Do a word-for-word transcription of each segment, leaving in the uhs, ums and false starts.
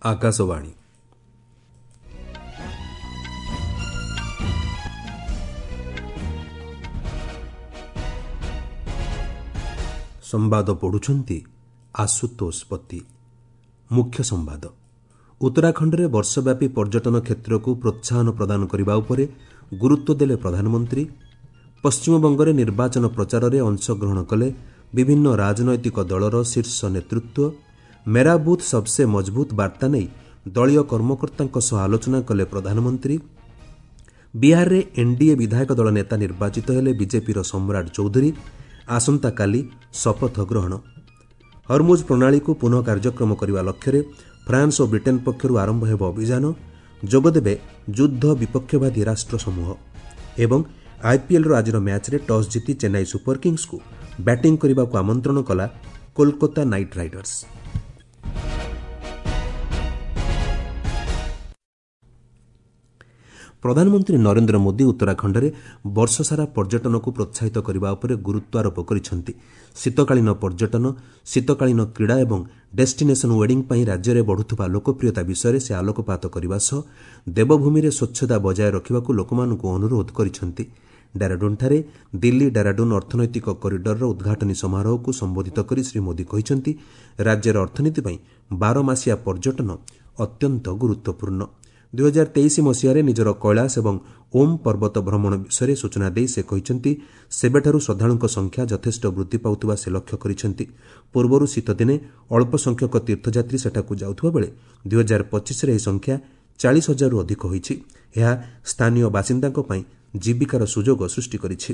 ଆକାଶବାଣୀ। ସମ୍ବାଦ ପଢ଼ୁଛନ୍ତି ଆଶୁତୋଷ ପତି। ମୁଖ୍ୟ ସମ୍ବାଦ। ଉତ୍ତରାଖଣ୍ଡରେ ବର୍ଷବ୍ୟାପୀ ପର୍ଯ୍ୟଟନ କ୍ଷେତ୍ରକୁ ପ୍ରୋତ୍ସାହନ ପ୍ରଦାନ କରିବା ଉପରେ ଗୁରୁତ୍ୱ ଦେଲେ ପ୍ରଧାନମନ୍ତ୍ରୀ। ପଶ୍ଚିମବଙ୍ଗରେ ନିର୍ବାଚନ ପ୍ରଚାରରେ ଅଂଶଗ୍ରହଣ କଲେ ବିଭିନ୍ନ ରାଜନୈତିକ ଦଳର ଶୀର୍ଷ ନେତୃତ୍ୱ। ମେରା ବୁଥ୍ ସବ୍ସେ ମଜବୁତ ବାର୍ତ୍ତା ନେଇ ଦଳୀୟ କର୍ମକର୍ତ୍ତାଙ୍କ ସହ ଆଲୋଚନା କଲେ ପ୍ରଧାନମନ୍ତ୍ରୀ। ବିହାରରେ ଏନ୍ଡିଏ ବିଧାୟକ ଦଳ ନେତା ନିର୍ବାଚିତ ହେଲେ ବିଜେପିର ସମ୍ରାଟ ଚୌଧୁରୀ। ଆସନ୍ତାକାଲି ଶପଥ ଗ୍ରହଣ। ହରମୁଜ ପ୍ରଣାଳୀକୁ ପୁନଃ କାର୍ଯ୍ୟକ୍ଷମ କରିବା ଲକ୍ଷ୍ୟରେ ଫ୍ରାନ୍ସ ଓ ବ୍ରିଟେନ୍ ପକ୍ଷରୁ ଆରମ୍ଭ ହେବ ଅଭିଯାନ। ଯୋଗଦେବେ ଯୁଦ୍ଧ ବିପକ୍ଷବାଦୀ ରାଷ୍ଟ୍ରସମୂହ। ଏବଂ ଆଇପିଏଲ୍ର ଆଜିର ମ୍ୟାଚ୍ରେ ଟସ୍ ଜିତି ଚେନ୍ନାଇ ସୁପର କିଙ୍ଗ୍ସକୁ ବ୍ୟାଟିଂ କରିବାକୁ ଆମନ୍ତ୍ରଣ କଲା କୋଲକାତା ନାଇଟ୍ ରାଇଡର୍ସ। ପ୍ରଧାନମନ୍ତ୍ରୀ ନରେନ୍ଦ୍ର ମୋଦି ଉତ୍ତରାଖଣ୍ଡରେ ବର୍ଷସାରା ପର୍ଯ୍ୟଟନକୁ ପ୍ରୋତ୍ସାହିତ କରିବା ଉପରେ ଗୁରୁତ୍ୱାରୋପ କରିଛନ୍ତି। ଶୀତକାଳୀନ ପର୍ଯ୍ୟଟନ, ଶୀତକାଳୀନ କ୍ରୀଡ଼ା ଏବଂ ଡେଷ୍ଟିନେସନ୍ ୱେଡିଂ ପାଇଁ ରାଜ୍ୟରେ ବଢ଼ୁଥିବା ଲୋକପ୍ରିୟତା ବିଷୟରେ ସେ ଆଲୋକପାତ କରିବା ସହ ଦେବଭୂମିରେ ସ୍ୱଚ୍ଛତା ବଜାୟ ରଖିବାକୁ ଲୋକମାନଙ୍କୁ ଅନୁରୋଧ କରିଛନ୍ତି। ଡେରାଡୁନ୍ଠାରେ ଦିଲ୍ଲୀ ଡେରାଡୁନ୍ ଅର୍ଥନୈତିକ କରିଡରର ଉଦ୍ଘାଟନୀ ସମାରୋହକୁ ସମ୍ବୋଧିତ କରି ଶ୍ରୀ ମୋଦି କହିଛନ୍ତି, ରାଜ୍ୟର ଅର୍ଥନୀତି ପାଇଁ ବାରମାସିଆ ପର୍ଯ୍ୟଟନ ଅତ୍ୟନ୍ତ ଗୁରୁତ୍ୱପୂର୍ଣ୍ଣ। ଦୁଇହଜାର ତେଇଶ ମସିହାରେ ନିଜର କୈଳାସ ଏବଂ ଓମ୍ ପର୍ବତ ଭ୍ରମଣ ବିଷୟରେ ସୂଚନା ଦେଇ ସେ କହିଛନ୍ତି, ସେବେଠାରୁ ଶ୍ରଦ୍ଧାଳୁଙ୍କ ସଂଖ୍ୟା ଯଥେଷ୍ଟ ବୃଦ୍ଧି ପାଉଥିବା ସେ ଲକ୍ଷ୍ୟ କରିଛନ୍ତି। ପୂର୍ବରୁ ଶୀତଦିନେ ଅଳ୍ପ ସଂଖ୍ୟକ ତୀର୍ଥଯାତ୍ରୀ ସେଠାକୁ ଯାଉଥିବା ବେଳେ ଦୁଇହଜାର ପଚିଶରେ ଏହି ସଂଖ୍ୟା ଚାଳିଶ ହଜାରରୁ ଅଧିକ ହୋଇଛି। ଏହା ସ୍ଥାନୀୟ ବାସିନ୍ଦାଙ୍କ ପାଇଁ ଜୀବିକାର ସୁଯୋଗ ସୃଷ୍ଟି କରିଛି।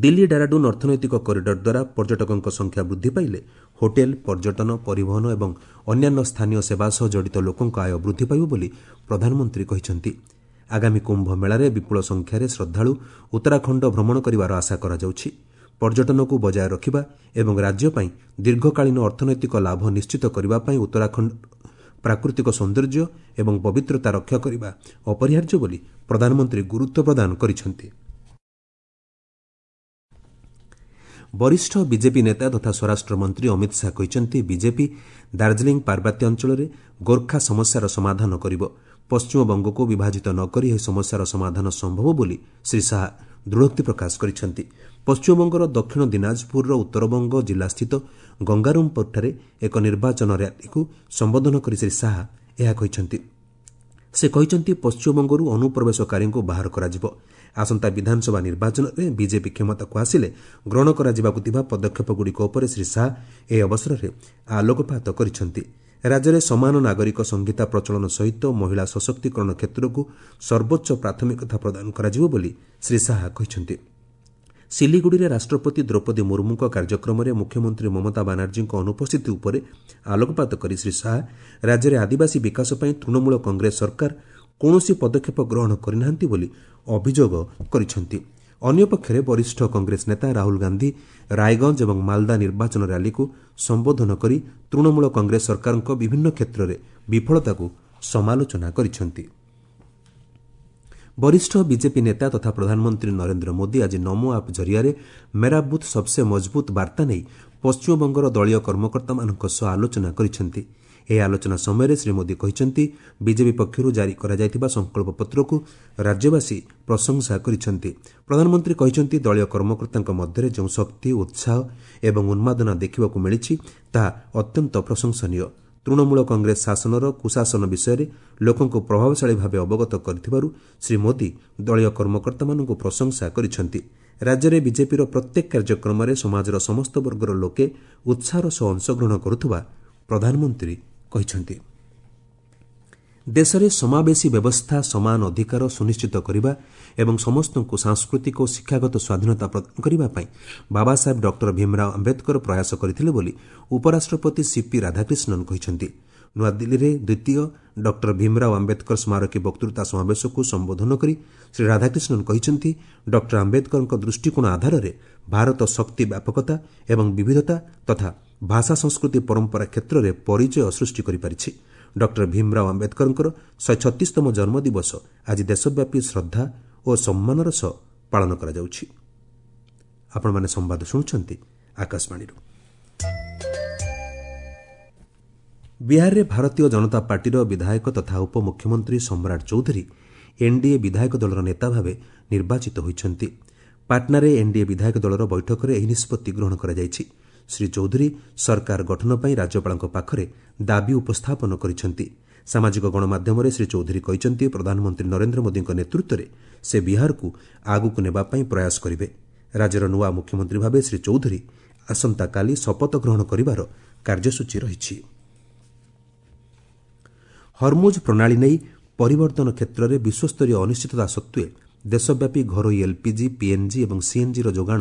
ଦିଲ୍ଲୀ ଡେରାଡୁନ୍ ଅର୍ଥନୈତିକ କରିଡର ଦ୍ୱାରା ପର୍ଯ୍ୟଟକଙ୍କ ସଂଖ୍ୟା ବୃଦ୍ଧି ପାଇଲେ ହୋଟେଲ, ପର୍ଯ୍ୟଟନ, ପରିବହନ ଏବଂ ଅନ୍ୟାନ୍ୟ ସ୍ଥାନୀୟ ସେବା ସହ ଜଡ଼ିତ ଲୋକଙ୍କ ଆୟ ବୃଦ୍ଧି ପାଇବ ବୋଲି ପ୍ରଧାନମନ୍ତ୍ରୀ କହିଛନ୍ତି। ଆଗାମୀ କୁମ୍ଭ ମେଳାରେ ବିପୁଳ ସଂଖ୍ୟାରେ ଶ୍ରଦ୍ଧାଳୁ ଉତ୍ତରାଖଣ୍ଡ ଭ୍ରମଣ କରିବାର ଆଶା କରାଯାଉଛି। ପର୍ଯ୍ୟଟନକୁ ବଜାୟ ରଖିବା ଏବଂ ରାଜ୍ୟ ପାଇଁ ଦୀର୍ଘକାଳୀନ ଅର୍ଥନୈତିକ ଲାଭ ନିଶ୍ଚିତ କରିବା ପାଇଁ ଉତ୍ତରାଖଣ୍ଡ ପ୍ରାକୃତିକ ସୌନ୍ଦର୍ଯ୍ୟ ଏବଂ ପବିତ୍ରତା ରକ୍ଷା କରିବା ଅପରିହାର୍ଯ୍ୟ ବୋଲି ପ୍ରଧାନମନ୍ତ୍ରୀ ଗୁରୁତ୍ୱ ପ୍ରଦାନ କରିଛନ୍ତି। ବରିଷ୍ଠ ବିଜେପି ନେତା ତଥା ସ୍ୱରାଷ୍ଟ୍ରମନ୍ତ୍ରୀ ଅମିତ ଶାହା କହିଛନ୍ତି, ବିଜେପି ଦାର୍ଜିଲିଂ ପାର୍ବତ୍ୟାଞ୍ଚଳରେ ଗୋର୍ଖା ସମସ୍ୟାର ସମାଧାନ କରିବ। ପଶ୍ଚିମବଙ୍ଗକୁ ବିଭାଜିତ ନ କରି ଏହି ସମସ୍ୟାର ସମାଧାନ ସମ୍ଭବ ବୋଲି ଶ୍ରୀ ଶାହା ଦୃଢ଼ୋକ୍ତି ପ୍ରକାଶ କରିଛନ୍ତି। ପଶ୍ଚିମବଙ୍ଗର ଦକ୍ଷିଣ ଦିନାଜପୁରର ଉତ୍ତରବଙ୍ଗ ଜିଲ୍ଲାସ୍ଥିତ ଗଙ୍ଗାରାମପୁରଠାରେ ଏକ ନିର୍ବାଚନ ର୍ୟାଲିକୁ ସମ୍ବୋଧନ କରି ଶ୍ରୀ ଶାହା ଏହା କହିଛନ୍ତି। ସେ କହିଛନ୍ତି, ପଶ୍ଚିମବଙ୍ଗରୁ ଅନୁପ୍ରବେଶକାରୀଙ୍କୁ ବାହାର କରାଯିବ। ଆସନ୍ତା ବିଧାନସଭା ନିର୍ବାଚନରେ ବିଜେପି କ୍ଷମତାକୁ ଆସିଲେ ଗ୍ରହଣ କରାଯିବାକୁ ଥିବା ପଦକ୍ଷେପଗୁଡ଼ିକ ଉପରେ ଶ୍ରୀ ଶାହା ଏହି ଅବସରରେ ଆଲୋକପାତ କରିଛନ୍ତି। ରାଜ୍ୟରେ ସମାନ ନାଗରିକ ସଂହିତା ପ୍ରଚଳନ ସହିତ ମହିଳା ସଶକ୍ତିକରଣ କ୍ଷେତ୍ରକୁ ସର୍ବୋଚ୍ଚ ପ୍ରାଥମିକତା ପ୍ରଦାନ କରାଯିବ ବୋଲି ଶ୍ରୀ ଶାହା କହିଛନ୍ତି। ସିଲିଗୁଡ଼ିରେ ରାଷ୍ଟ୍ରପତି ଦ୍ରୌପଦୀ ମୁର୍ମୁଙ୍କ କାର୍ଯ୍ୟକ୍ରମରେ ମୁଖ୍ୟମନ୍ତ୍ରୀ ମମତା ବାନାର୍ଜୀଙ୍କ ଅନୁପସ୍ଥିତି ଉପରେ ଆଲୋକପାତ କରି ଶ୍ରୀ ଶାହା ରାଜ୍ୟରେ ଆଦିବାସୀ ବିକାଶ ପାଇଁ ତୃଣମୂଳ କଂଗ୍ରେସ ସରକାର କୌଣସି ପଦକ୍ଷେପ ଗ୍ରହଣ କରିନାହାନ୍ତି ବୋଲି ଅଭିଯୋଗ କରିଛନ୍ତି। ଅନ୍ୟପକ୍ଷରେ ବରିଷ୍ଠ କଂଗ୍ରେସ ନେତା ରାହୁଲ ଗାନ୍ଧି ରାୟଗଞ୍ଜ ଏବଂ ମାଲଦା ନିର୍ବାଚନ ର୍ୟାଲିକୁ ସମ୍ବୋଧନ କରି ତୃଣମୂଳ କଂଗ୍ରେସ ସରକାରଙ୍କ ବିଭିନ୍ନ କ୍ଷେତ୍ରରେ ବିଫଳତାକୁ ସମାଲୋଚନା କରିଛନ୍ତି। ବରିଷ୍ଠ ବିଜେପି ନେତା ତଥା ପ୍ରଧାନମନ୍ତ୍ରୀ ନରେନ୍ଦ୍ର ମୋଦି ଆଜି ନମୋ ଆପ୍ ଜରିଆରେ ମେରା ବୁଥ୍ ସବ୍ସେ ମଜବୁତ ବାର୍ତ୍ତା ନେଇ ପଶ୍ଚିମବଙ୍ଗର ଦଳୀୟ କର୍ମକର୍ତ୍ତାମାନଙ୍କ ସହ ଆଲୋଚନା କରିଛନ୍ତି। ଏହି ଆଲୋଚନା ସମୟରେ ଶ୍ରୀ ମୋଦି କହିଛନ୍ତି, ବିଜେପି ପକ୍ଷରୁ ଜାରି କରାଯାଇଥିବା ସଂକଳ୍ପପତ୍ରକୁ ରାଜ୍ୟବାସୀ ପ୍ରଶଂସା କରିଛନ୍ତି। ପ୍ରଧାନମନ୍ତ୍ରୀ କହିଛନ୍ତି, ଦଳୀୟ କର୍ମକର୍ତ୍ତାଙ୍କ ମଧ୍ୟରେ ଯେଉଁ ଶକ୍ତି, ଉତ୍ସାହ ଏବଂ ଉନ୍ମାଦନା ଦେଖିବାକୁ ମିଳିଛି ତାହା ଅତ୍ୟନ୍ତ ପ୍ରଶଂସନୀୟ। ତୃଣମୂଳ କଂଗ୍ରେସ ଶାସନର କୁଶାସନ ବିଷୟରେ ଲୋକଙ୍କୁ ପ୍ରଭାବଶାଳୀ ଭାବେ ଅବଗତ କରିଥିବାରୁ ଶ୍ରୀ ମୋଦି ଦଳୀୟ କର୍ମକର୍ତ୍ତାମାନଙ୍କୁ ପ୍ରଶଂସା କରିଛନ୍ତି। ରାଜ୍ୟରେ ବିଜେପିର ପ୍ରତ୍ୟେକ କାର୍ଯ୍ୟକ୍ରମରେ ସମାଜର ସମସ୍ତ ବର୍ଗର ଲୋକେ ଉତ୍ସାହର ସହ ଅଂଶଗ୍ରହଣ କରୁଥିବା ପ୍ରଧାନମନ୍ତ୍ରୀ କହିଛନ୍ତି। ଦେଶରେ ସମାବେଶୀ ବ୍ୟବସ୍ଥା, ସମାନ ଅଧିକାର ସୁନିଶ୍ଚିତ କରିବା ଏବଂ ସମସ୍ତଙ୍କୁ ସାଂସ୍କୃତିକ ଓ ଶିକ୍ଷାଗତ ସ୍ୱାଧୀନତା ପ୍ରଦାନ କରିବା ପାଇଁ ବାବାସାହେବ ଡକ୍ଟର ଭୀମରାଓ ଆମ୍ବେଦକର ପ୍ରୟାସ କରିଥିଲେ ବୋଲି ଉପରାଷ୍ଟ୍ରପତି ସିପି ରାଧାକ୍ରିଷ୍ଣନ୍ କହିଛନ୍ତି। ନୂଆଦିଲ୍ଲୀରେ ଦ୍ୱିତୀୟ ଡକ୍ଟର ଭୀମରାଓ ଆମ୍ବେଦକର ସ୍ମାରକୀ ବକ୍ତୃତା ସମାବେଶକୁ ସମ୍ବୋଧନ କରି ଶ୍ରୀ ରାଧାକ୍ରିଷ୍ଣନ୍ କହିଛନ୍ତି, ଡକ୍ଟର ଆମ୍ବେଦକରଙ୍କ ଦୃଷ୍ଟିକୋଣ ଆଧାରରେ ଭାରତ ଶକ୍ତି ବ୍ୟାପକତା ଏବଂ ବିବିଧତା ତଥା ଭାଷା ସଂସ୍କୃତି ପରମ୍ପରା କ୍ଷେତ୍ରରେ ପରିଚୟ ସୃଷ୍ଟି କରିପାରିଛି। ଡକ୍ଟର ଭୀମରାଓ ଆମ୍ବେଦକରଙ୍କର ଶହେ ଛତିଶତମ ଜନ୍ମଦିବସ ଆଜି ଦେଶବ୍ୟାପୀ ଶ୍ରଦ୍ଧା ଓ ସମ୍ମାନର ସହ ପାଳନ କରାଯାଉଛି। ଆପଣମାନେ ସମ୍ବାଦ ଶୁଣୁଛନ୍ତି ଆକାଶବାଣୀରୁ। ବିହାରରେ ଭାରତୀୟ ଜନତା ପାର୍ଟିର ବିଧାୟକ ତଥା ଉପମୁଖ୍ୟମନ୍ତ୍ରୀ ସମ୍ରାଟ ଚୌଧୁରୀ ଏନ୍ଡିଏ ବିଧାୟକ ଦଳର ନେତା ଭାବେ ନିର୍ବାଚିତ ହୋଇଛନ୍ତି। ପାଟନାରେ ଏନ୍ଡିଏ ବିଧାୟକ ଦଳର ବୈଠକରେ ଏହି ନିଷ୍ପତ୍ତି ଗ୍ରହଣ କରାଯାଇଛି। ଶ୍ରୀ ଚୌଧୁରୀ ସରକାର ଗଠନ ପାଇଁ ରାଜ୍ୟପାଳଙ୍କ ପାଖରେ ଦାବି ଉପସ୍ଥାପନ କରିଛନ୍ତି। ସାମାଜିକ ଗଣମାଧ୍ୟମରେ ଶ୍ରୀ ଚୌଧୁରୀ କହିଛନ୍ତି, ପ୍ରଧାନମନ୍ତ୍ରୀ ନରେନ୍ଦ୍ର ମୋଦିଙ୍କ ନେତୃତ୍ୱରେ ସେ ବିହାରକୁ ଆଗକୁ ନେବା ପାଇଁ ପ୍ରୟାସ କରିବେ। ରାଜ୍ୟର ନୂଆ ମୁଖ୍ୟମନ୍ତ୍ରୀ ଭାବେ ଶ୍ରୀ ଚୌଧୁରୀ ଆସନ୍ତାକାଲି ଶପଥ ଗ୍ରହଣ କରିବାର କାର୍ଯ୍ୟସୂଚୀ ରହିଛି। ହର୍ମୁଜ୍ ପ୍ରଣାଳୀ ନେଇ ପରିବର୍ତ୍ତନ କ୍ଷେତ୍ରରେ ବିଶ୍ୱସ୍ତରୀୟ ଅନିଶ୍ଚିତତା ସତ୍ତ୍ୱେ ଦେଶବ୍ୟାପୀ ଘରୋଇ ଏଲ୍ପିଜି, ପିଏନ୍ଜି ଏବଂ ସିଏନ୍ଜିର ଯୋଗାଣ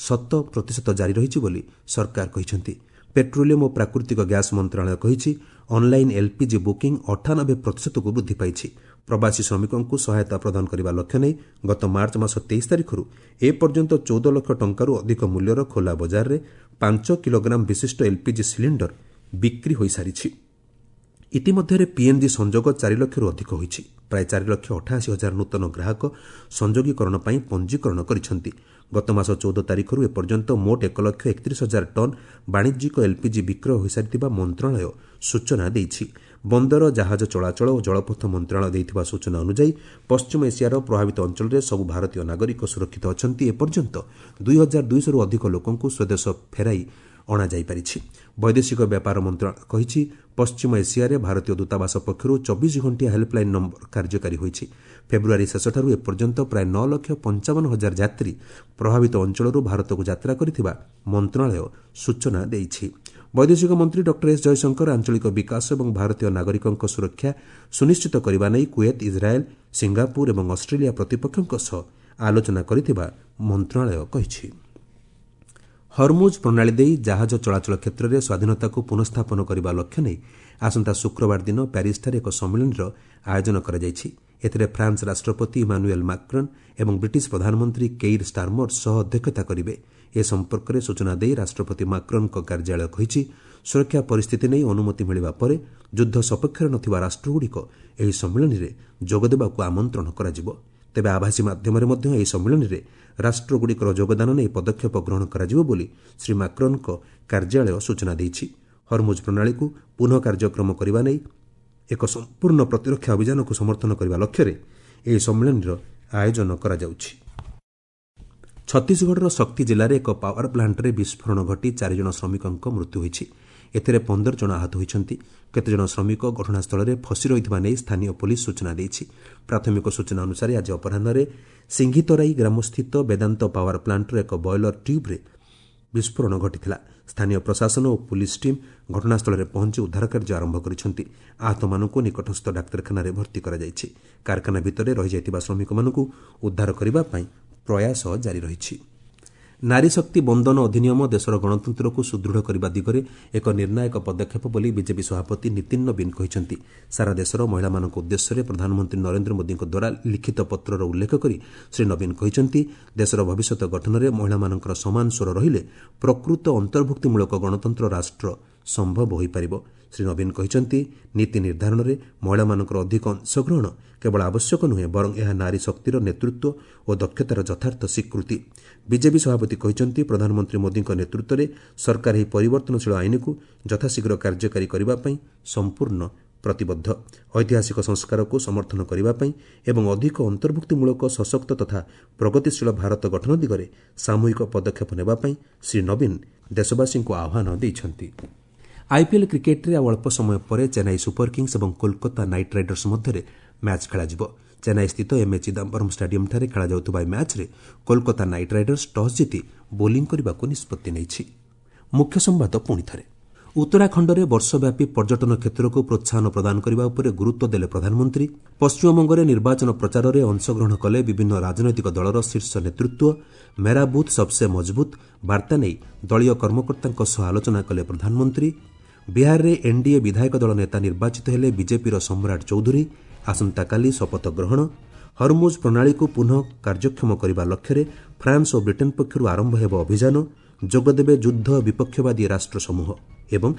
ଶତ ପ୍ରତିଶତ ଜାରି ରହିଛି ବୋଲି ସରକାର କହିଛନ୍ତି। ପେଟ୍ରୋଲିୟମ୍ ଓ ପ୍ରାକୃତିକ ଗ୍ୟାସ୍ ମନ୍ତ୍ରଣାଳୟ କହିଛି, ଅନ୍ଲାଇନ୍ ଏଲ୍ପିଜି ବୁକିଂ ଅଠାନବେ ପ୍ରତିଶତକୁ ବୃଦ୍ଧି ପାଇଛି। ପ୍ରବାସୀ ଶ୍ରମିକଙ୍କୁ ସହାୟତା ପ୍ରଦାନ କରିବା ଲକ୍ଷ୍ୟ ନେଇ ଗତ ମାର୍ଚ୍ଚ ମାସ ତେଇଶ ତାରିଖରୁ ଏପର୍ଯ୍ୟନ୍ତ ଚଉଦ ଲକ୍ଷ ଟଙ୍କାରୁ ଅଧିକ ମୂଲ୍ୟର ଖୋଲା ବଜାରରେ ପାଞ୍ଚ କିଲୋଗ୍ରାମ ବିଶିଷ୍ଟ ଏଲ୍ପିଜି ସିଲିଣ୍ଡର ବିକ୍ରି ହୋଇସାରିଛି। ଇତିମଧ୍ୟରେ ପିଏନ୍ଜି ସଂଯୋଗ ଚାରି ଲକ୍ଷରୁ ଅଧିକ ହୋଇଛି। ପ୍ରାୟ ଚାରି ଲକ୍ଷ ଅଠାଅଶୀ ହଜାର ନୂତନ ଗ୍ରାହକ ସଂଯୋଗୀକରଣ ପାଇଁ ପଞ୍ଜୀକରଣ କରିଛନ୍ତି। ଗତ ମାସ ଚଉଦ ତାରିଖରୁ ଏପର୍ଯ୍ୟନ୍ତ ମୋଟ ଏକ ଲକ୍ଷ ଏକତିରିଶ ହଜାର ଟନ୍ ବାଣିଜ୍ୟିକ ଏଲ୍ପିଜି ବିକ୍ରୟ ହୋଇସାରିଥିବା ମନ୍ତ୍ରଣାଳୟ ସୂଚନା ଦେଇଛି। ବନ୍ଦର, ଜାହାଜ ଚଳାଚଳ ଓ ଜଳପଥ ମନ୍ତ୍ରଣାଳୟ ଦେଇଥିବା ସୂଚନା ଅନୁଯାୟୀ ପଶ୍ଚିମ ଏସିଆର ପ୍ରଭାବିତ ଅଞ୍ଚଳରେ ସବୁ ଭାରତୀୟ ନାଗରିକ ସୁରକ୍ଷିତ ଅଛନ୍ତି। ଏପର୍ଯ୍ୟନ୍ତ ଦୁଇ ହଜାର ଦୁଇଶହରୁ ଅଧିକ ଲୋକଙ୍କୁ ସ୍ୱଦେଶ ଫେରାଇ ଅଣାଯାଇପାରିଛି। ବୈଦେଶିକ ବ୍ୟାପାର ମନ୍ତ୍ରଣାଳୟ କହିଛି, ପଶ୍ଚିମ ଏସିଆରେ ଭାରତୀୟ ଦୂତାବାସ ପକ୍ଷରୁ ଚବିଶ ଘଣ୍ଟିଆ ହେଲ୍ପଲାଇନ୍ ନମ୍ବର କାର୍ଯ୍ୟକାରୀ ହୋଇଛି। ଫେବୃଆରୀ ଶେଷଠାରୁ ଏପର୍ଯ୍ୟନ୍ତ ପ୍ରାୟ ନଅ ଲକ୍ଷ ପଞ୍ଚାବନ ହଜାର ଯାତ୍ରୀ ପ୍ରଭାବିତ ଅଞ୍ଚଳରୁ ଭାରତକୁ ଯାତ୍ରା କରିଥିବା ମନ୍ତ୍ରଣାଳୟ ସୂଚନା ଦେଇଛି। ବୈଦେଶିକ ମନ୍ତ୍ରୀ ଡକ୍ଟର ଏସ୍ ଜୟଶଙ୍କର ଆଞ୍ଚଳିକ ବିକାଶ ଏବଂ ଭାରତୀୟ ନାଗରିକଙ୍କ ସୁରକ୍ଷା ସୁନିଶ୍ଚିତ କରିବା ନେଇ କୁଏତ, ଇସ୍ରାଏଲ୍, ସିଙ୍ଗାପୁର ଏବଂ ଅଷ୍ଟ୍ରେଲିଆ ପ୍ରତିପକ୍ଷଙ୍କ ସହ ଆଲୋଚନା କରିଥିବା ମନ୍ତ୍ରଣାଳୟ କହିଛି। ହର୍ମୁଜ୍ ପ୍ରଣାଳୀ ଦେଇ ଜାହାଜ ଚଳାଚଳ କ୍ଷେତ୍ରରେ ସ୍ୱାଧୀନତାକୁ ପୁନଃସ୍ଥାପନ କରିବା ଲକ୍ଷ୍ୟ ନେଇ ଆସନ୍ତା ଶୁକ୍ରବାର ଦିନ ପ୍ୟାରିସ୍ଠାରେ ଏକ ସମ୍ମିଳନୀର ଆୟୋଜନ କରାଯାଇଛି। ଏଥିରେ ଫ୍ରାନ୍ସ ରାଷ୍ଟ୍ରପତି ଇମାନୁଏଲ୍ ମାକ୍ରନ୍ ଏବଂ ବ୍ରିଟିଶ ପ୍ରଧାନମନ୍ତ୍ରୀ କେଇର୍ ଷ୍ଟାରମର ସହ ଅଧ୍ୟକ୍ଷତା କରିବେ। ଏ ସମ୍ପର୍କରେ ସୂଚନା ଦେଇ ରାଷ୍ଟ୍ରପତି ମାକ୍ରନ୍ଙ୍କ କାର୍ଯ୍ୟାଳୟ କହିଛି, ସୁରକ୍ଷା ପରିସ୍ଥିତି ନେଇ ଅନୁମତି ମିଳିବା ପରେ ଯୁଦ୍ଧ ସପକ୍ଷରେ ନଥିବା ରାଷ୍ଟ୍ରଗୁଡ଼ିକ ଏହି ସମ୍ମିଳନୀରେ ଯୋଗଦେବାକୁ ଆମନ୍ତ୍ରଣ କରାଯିବ। ତେବେ ଆଭାସୀ ମାଧ୍ୟମରେ ମଧ୍ୟ ଏହି ସମ୍ମିଳନୀରେ ରାଷ୍ଟ୍ରଗୁଡ଼ିକର ଯୋଗଦାନ ନେଇ ପଦକ୍ଷେପ ଗ୍ରହଣ କରାଯିବ ବୋଲି ଶ୍ରୀ ମାକ୍ରନ୍ଙ୍କ କାର୍ଯ୍ୟାଳୟ ସୂଚନା ଦେଇଛି। ହର୍ମୁଜ୍ ପ୍ରଣାଳୀକୁ ପୁନଃ କାର୍ଯ୍ୟକ୍ରମ କରିବା ନେଇ ଏକ ସମ୍ପୂର୍ଣ୍ଣ ପ୍ରତିରକ୍ଷା ଅଭିଯାନକୁ ସମର୍ଥନ କରିବା ଲକ୍ଷ୍ୟରେ ଏହି ସମ୍ମିଳନୀର ଆୟୋଜନ କରାଯାଉଛି। ଛତିଶଗଡ଼ର ଶକ୍ତି ଜିଲ୍ଲାରେ ଏକ ପାୱାର ପ୍ଲାଣ୍ଟରେ ବିସ୍ଫୋରଣ ଘଟି ଚାରିଜଣ ଶ୍ରମିକଙ୍କ ମୃତ୍ୟୁ ହୋଇଛି। ଏଥିରେ ପନ୍ଦର ଜଣ ଆହତ ହୋଇଛନ୍ତି। କେତେଜଣ ଶ୍ରମିକ ଘଟଣାସ୍ଥଳରେ ଫସି ରହିଥିବା ନେଇ ସ୍ଥାନୀୟ ପୋଲିସ ସୂଚନା ଦେଇଛି। ପ୍ରାଥମିକ ସୂଚନା ଅନୁସାରେ ଆଜି ଅପରାହ୍ନରେ ସିଂଘିତରାଇ ଗ୍ରାମସ୍ଥିତ ବେଦାନ୍ତ ପାୱାର ପ୍ଲାଣ୍ଟର ଏକ ବଏଲର ଟ୍ୟୁବ୍ରେ ବିସ୍ଫୋରଣ ଘଟିଥିଲା। ସ୍ଥାନୀୟ ପ୍ରଶାସନ ଓ ପୁଲିସ୍ ଟିମ୍ ଘଟଣାସ୍ଥଳରେ ପହଞ୍ଚି ଉଦ୍ଧାର କାର୍ଯ୍ୟ ଆରମ୍ଭ କରିଛନ୍ତି। ଆହତମାନଙ୍କୁ ନିକଟସ୍ଥ ଡାକ୍ତରଖାନାରେ ଭର୍ତ୍ତି କରାଯାଇଛି। କାରଖାନା ଭିତରେ ରହିଯାଇଥିବା ଶ୍ରମିକମାନଙ୍କୁ ଉଦ୍ଧାର କରିବା ପାଇଁ ପ୍ରୟାସ ଜାରି ରହିଛି। ନାରୀ ଶକ୍ତି ବନ୍ଦନ ଅଧିନିୟମ ଦେଶର ଗଣତନ୍ତ୍ରକୁ ସୁଦୃଢ଼ କରିବା ଦିଗରେ ଏକ ନିର୍ଣ୍ଣାୟକ ପଦକ୍ଷେପ ବୋଲି ବିଜେପି ସଭାପତି ନୀତିନ ନବୀନ କହିଛନ୍ତି। ସାରା ଦେଶର ମହିଳାମାନଙ୍କ ଉଦ୍ଦେଶ୍ୟରେ ପ୍ରଧାନମନ୍ତ୍ରୀ ନରେନ୍ଦ୍ର ମୋଦିଙ୍କ ଦ୍ୱାରା ଲିଖିତ ପତ୍ରର ଉଲ୍ଲେଖ କରି ଶ୍ରୀ ନବୀନ କହିଛନ୍ତି, ଦେଶର ଭବିଷ୍ୟତ ଗଠନରେ ମହିଳାମାନଙ୍କର ସମାନ ସ୍ୱର ରହିଲେ ପ୍ରକୃତ ଅନ୍ତର୍ଭୁକ୍ତିମୂଳକ ଗଣତନ୍ତ୍ର ରାଷ୍ଟ୍ର ସମ୍ଭବ ହୋଇପାରିବ। ଶ୍ରୀ ନବୀନ କହିଛନ୍ତି, ନୀତି ନିର୍ଦ୍ଧାରଣରେ ମହିଳାମାନଙ୍କର ଅଧିକ ଅଂଶଗ୍ରହଣ କେବଳ ଆବଶ୍ୟକ ନୁହେଁ, ବରଂ ଏହା ନାରୀ ଶକ୍ତିର ନେତୃତ୍ୱ ଓ ଦକ୍ଷତାର ଯଥାର୍ଥ ସ୍ୱୀକୃତି। ବିଜେପି ସଭାପତି କହିଛନ୍ତି, ପ୍ରଧାନମନ୍ତ୍ରୀ ମୋଦିଙ୍କ ନେତୃତ୍ୱରେ ସରକାର ଏହି ପରିବର୍ତ୍ତନଶୀଳ ଆଇନକୁ ଯଥାଶୀଘ୍ର କାର୍ଯ୍ୟକାରୀ କରିବା ପାଇଁ ସମ୍ପୂର୍ଣ୍ଣ ପ୍ରତିବଦ୍ଧ। ଐତିହାସିକ ସଂସ୍କାରକୁ ସମର୍ଥନ କରିବା ପାଇଁ ଏବଂ ଅଧିକ ଅନ୍ତର୍ଭୁକ୍ତିମୂଳକ ସଶକ୍ତ ତଥା ପ୍ରଗତିଶୀଳ ଭାରତ ଗଠନ ଦିଗରେ ସାମୂହିକ ପଦକ୍ଷେପ ନେବା ପାଇଁ ଶ୍ରୀ ନବୀନ ଦେଶବାସୀଙ୍କୁ ଆହ୍ୱାନ ଦେଇଛନ୍ତି। ଆଇପିଏଲ୍ କ୍ରିକେଟ୍ରେ ଆଉ ଅଳ୍ପ ସମୟ ପରେ ଚେନ୍ନାଇ ସୁପର କିଙ୍ଗସ୍ ଏବଂ କୋଲକାତା ନାଇଟ୍ ରାଇଡର୍ସ ମଧ୍ୟରେ ମ୍ୟାଚ୍ ଖେଳାଯିବ। ଚେନ୍ନାଇସ୍ଥିତ ଏମ୍ଏ ଚିଦାମ୍ବରମ୍ ଷ୍ଟାଡିୟମ୍ଠାରେ ଖେଳାଯାଉଥିବା ଏହି ମ୍ୟାଚ୍ରେ କୋଲକାତା ନାଇଟ୍ ରାଇଡର୍ସ ଟସ୍ ଜିତି ବୋଲିଂ କରିବାକୁ ନିଷ୍ପତ୍ତି ନେଇଛି। ମୁଖ୍ୟ ସମ୍ବାଦ ପୁଣିଥରେ। ଉତ୍ତରାଖଣ୍ଡରେ ବର୍ଷବ୍ୟାପୀ ପର୍ଯ୍ୟଟନ କ୍ଷେତ୍ରକୁ ପ୍ରୋତ୍ସାହନ ପ୍ରଦାନ କରିବା ଉପରେ ଗୁରୁତ୍ୱ ଦେଲେ ପ୍ରଧାନମନ୍ତ୍ରୀ। ପଶ୍ଚିମବଙ୍ଗରେ ନିର୍ବାଚନ ପ୍ରଚାରରେ ଅଂଶଗ୍ରହଣ କଲେ ବିଭିନ୍ନ ରାଜନୈତିକ ଦଳର ଶୀର୍ଷ ନେତୃତ୍ୱ। ମେରା ବୁଥ୍ ସବ୍ସେ ମଜବୁତ୍ ବାର୍ତ୍ତା ନେଇ ଦଳୀୟ କର୍ମକର୍ତ୍ତାଙ୍କ ସହ ଆଲୋଚନା କଲେ ପ୍ରଧାନମନ୍ତ୍ରୀ। ବିହାରରେ ଏନ୍ଡିଏ ବିଧାୟକ ଦଳ ନେତା ନିର୍ବାଚିତ ହେଲେ ବିଜେପିର ସମ୍ରାଟ ଚୌଧୁରୀ। ଆସନ୍ତାକାଲି ଶପଥ ଗ୍ରହଣ। ହରମୁଜ୍ ପ୍ରଣାଳୀକୁ ପୁନଃ କାର୍ଯ୍ୟକ୍ଷମ କରିବା ଲକ୍ଷ୍ୟରେ ଫ୍ରାନ୍ସ ଓ ବ୍ରିଟେନ୍ ପକ୍ଷରୁ ଆରମ୍ଭ ହେବ ଅଭିଯାନ। ଯୋଗଦେବେ ଯୁଦ୍ଧ ବିପକ୍ଷବାଦୀ ରାଷ୍ଟ୍ରସମୂହ। ଏବଂ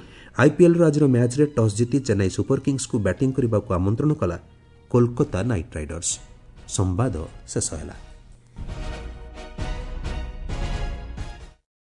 ଆଇପିଏଲ୍ର ଆଜିର ମ୍ୟାଚ୍ରେ ଟସ୍ ଜିତି ଚେନ୍ନାଇ ସୁପର କିଙ୍ଗସ୍କୁ ବ୍ୟାଟିଂ କରିବାକୁ ଆମନ୍ତ୍ରଣ କଲା କୋଲକାତା ନାଇଟ୍ ରାଇଡର୍ସ। ସମ୍ବାଦ ଶେଷ ହେଲା।